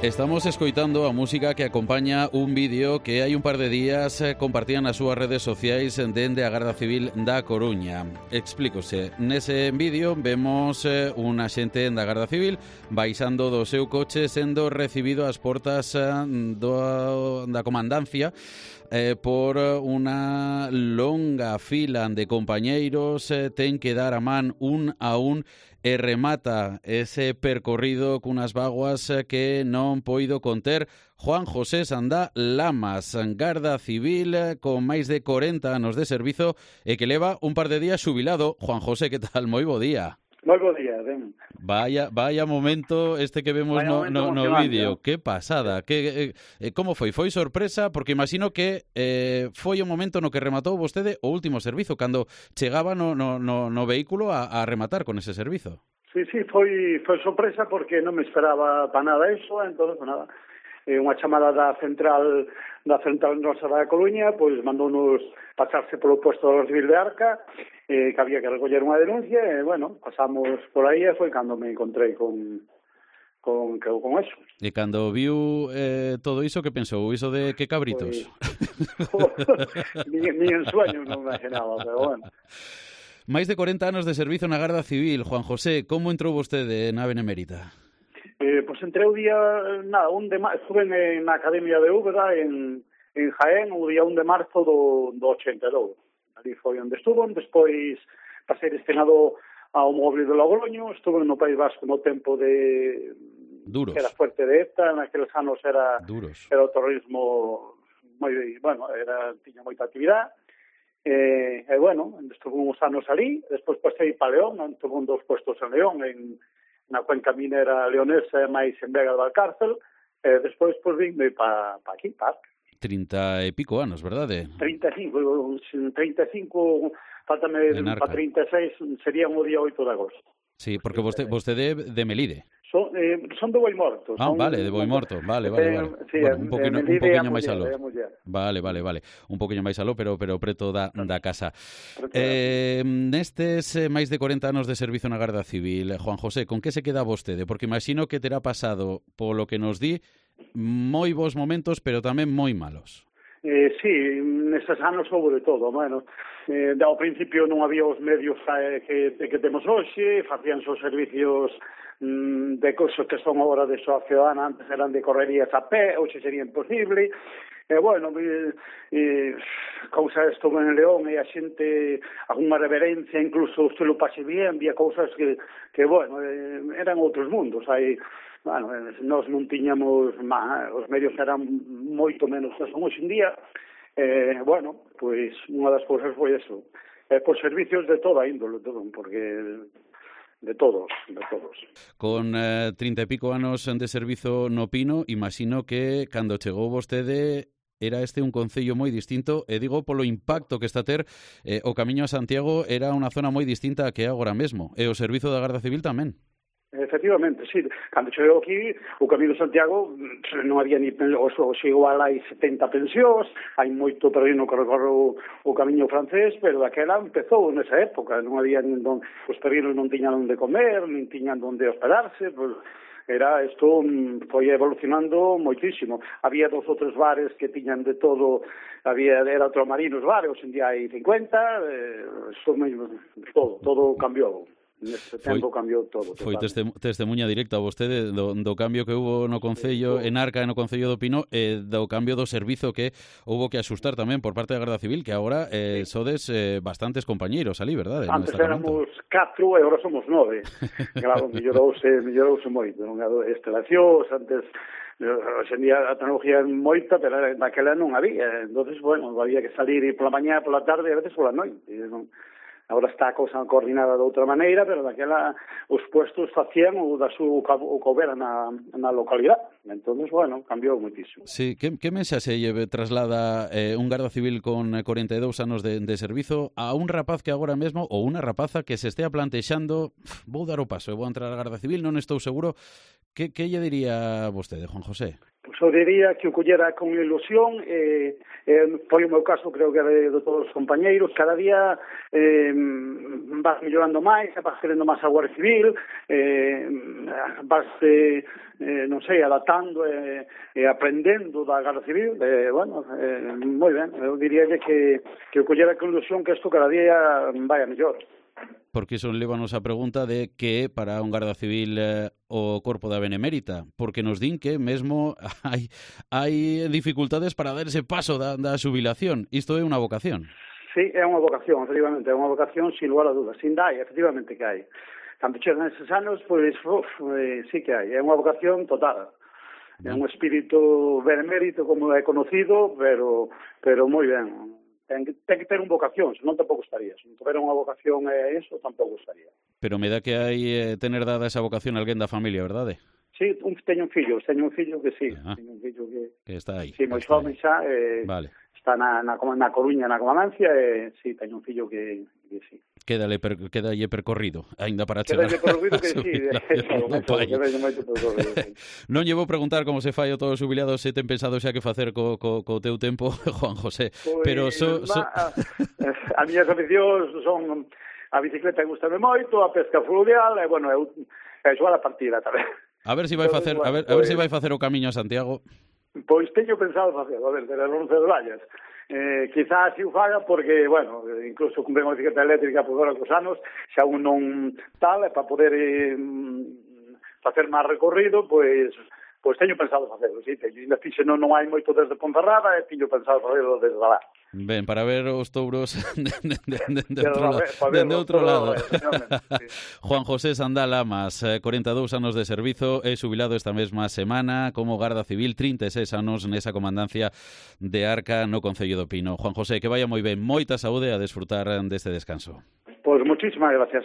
Estamos escoitando a música que acompaña un vídeo que hai un par de días compartían nas súas redes sociais dende a Garda Civil da Coruña. Explícose. Nese vídeo vemos un axente da Garda Civil baixando do seu coche sendo recibido ás portas da comandancia por unha longa fila de compañeiros. Ten que dar a man un a un e remata ese percorrido cunhas vaguas que non poido conter Juan José Sandá Lamas, Garda Civil con máis de 40 anos de servizo e que leva un par de días xubilado. Juan José, que tal? Moi bo día. Moi bo día, ben. Vaya momento este que vemos no vídeo. Que pasada. Como foi? Foi sorpresa? Porque imagino que foi o momento no que rematou vostede o último servizo, cando chegaba no vehículo a rematar con ese servizo. Sí, foi sorpresa porque non me esperaba para nada eso, entón, nada. Unha chamada da central nosa da Coruña, pois mandounos pasarse polo posto da Civil de Arca, que había que recoller unha denuncia, e, bueno, pasamos por aí e foi cando me encontrei con eso. E cando viu todo iso, que pensou? Iso de que cabritos? Ni en sueño non me imaginaba, pero bueno. Máis de 40 anos de servizo na Garda Civil. Juan José, como entrou vostede na Benemérita? Pois entré o día, estuve na Academia de Úbeda en Jaén o día 1 de marzo do 82. Ali foi onde estuvo, despois pasei destinado ao móvil de Logroño, estuve no País Vasco no tempo de... Duros. Que era fuerte de ETA, naqueles anos era duros. Era o terrorismo moi, bueno, tiña moita actividade. Bueno, estuve uns anos ali, despois pasei para León, tuve un dos puestos en León, na cuenca minera leonesa, máis en Vega do Valcárcel, despois vime para aquí, para 30 e pico anos, verdade? 35, faltame para 36, sería o día 8 de agosto. Sí, porque vostede de Melide. Son de Boimorto. Vale, de Boimorto, vale. Sí, bueno, un poquinho máis aló. Vale. Un poquinho máis aló, pero preto da casa. Nestes máis de 40 anos de servizo na Garda Civil, Juan José, con que se queda vostede? Porque imagino que terá pasado, polo que nos di, moi bons momentos, pero tamén moi malos. Sí, neses anos houve de todo. Bueno, ao principio non había os medios que temos hoxe, facíanse os servicios de cousas que son agora de soa ciudadana, antes eran de correrías a pé, hoxe sería imposible. Bueno, cousas estuve en León e a xente, algunha reverencia, incluso o estilo pase bien, había cousas que bueno, eran outros mundos. Bueno, nós non tiñamos, os medios eran moito menos que son hoxe en día. Bueno, pois unha das cousas foi eso. Por servicios de toda índole, porque de todos. Con 30 e pico anos de servizo no Pino, imagino que cando chegou vostede era este un concello moi distinto, e digo polo impacto que está a ter o Camiño a Santiago, era unha zona moi distinta a que é agora mesmo, e o servizo da Garda Civil tamén. Efectivamente, sí. Cando chegou aquí, o Camiño de Santiago non había ni igual hai 70 pensións, hai moito peregrino que recorre o Camiño francés, pero daquela empezou nesa época, non había os peregrinos non tiñan onde comer, nin tiñan onde hospedarse, pues, isto foi evolucionando moitísimo. Había 2 ou 3 bares que tiñan de todo, era outro marinos bares, hoxe en día hai 50, todo cambiou. Neste tempo cambiou todo. Foi testemunha directa vostede do cambio que hubo no Concello en Arca e no Concello do Pino, e do cambio do servizo que houbo que asustar tamén por parte da Garda Civil, que agora sodes bastantes compañeiros ali, verdade? Antes éramos 4 e agora somos 9. Claro, mellorouse moito. Estelacións, antes, hoxe en día a tecnología é moita, pero naquela non había. Entonces, bueno, había que salir pola mañá, pola tarde e a veces pola noite. Agora está a cousa coordinada de outra maneira, pero daquela os puestos facían o que houbera na localidade. Entón, bueno, cambiou moitísimo. Sí, que mensaxe traslada un Garda Civil con 42 anos de servizo a un rapaz que agora mesmo, ou unha rapaza que se estea plantexando, vou dar o paso, vou entrar á Garda Civil, non estou seguro, que lle diría vostede, Juan José? Pois eu diría que o collera con ilusión, foi o meu caso, creo que de todos os compañeiros, cada día vas mellorando máis, vas querendo máis a Guardia Civil, vas, non sei, adaptando e aprendendo da Guardia Civil, moi ben, eu diría que o collera con ilusión que isto cada día vai a mellor. Porque iso lévanos a pregunta de que para un Garda Civil o Corpo da Benemérita, porque nos din que mesmo hai dificultades para dar ese paso da xubilación. Isto é unha vocación. Sí, é unha vocación, efectivamente, é unha vocación sin lugar a dudas, sin dai, efectivamente que hai. Cando chegan eses anos, pois, sí que hai, é unha vocación total. É un espírito benemérito, como é conocido, pero moi ben. Ten que ter unha vocación, senón tampouco estaría. Se non tuviera unha vocación eso, tampouco estaría. Pero me dá que hai tener dada esa vocación a alguén da familia, verdade? Sí, teño un fillo que sí. Teño un fillo que está aí. Sí, moi xome xa, vale. Está na Coruña, na Comandancia, sí, teño un fillo que sí. Quédalle percorrido, aínda para chegar. Quédalle percorrido que sí, Non lle vou preguntar como se fai o todo xubilado, se ten pensado xa que facer co teu tempo, Juan José, pues, pero a miñas aficións son a bicicleta, gustame moito, a pesca fluvial, e bueno, eu xogar a partida tamén. A ver se vai facer, a ver se vai facer o camiño a Santiago. Pois teño pensado facelo, a ver, de Roncesvalles. Quizás si o faga porque, bueno, incluso comprei unha bicicleta eléctrica por agora cos anos, xa un non tal, para poder facer máis recorrido, pois teño pensado facelo, sí, ainda fixe non hai moito desde Ponferrada e teño pensado facelo desde lá. Ben, para ver os touros dende outro lado. Juan José Sandal Amas, 42 anos de servizo, é xubilado esta mesma semana como Garda Civil, 36 anos nesa comandancia de Arca no Concello do Pino. Juan José, que vaya moi ben, moita saúde a desfrutar deste descanso. Pois muchísimas gracias,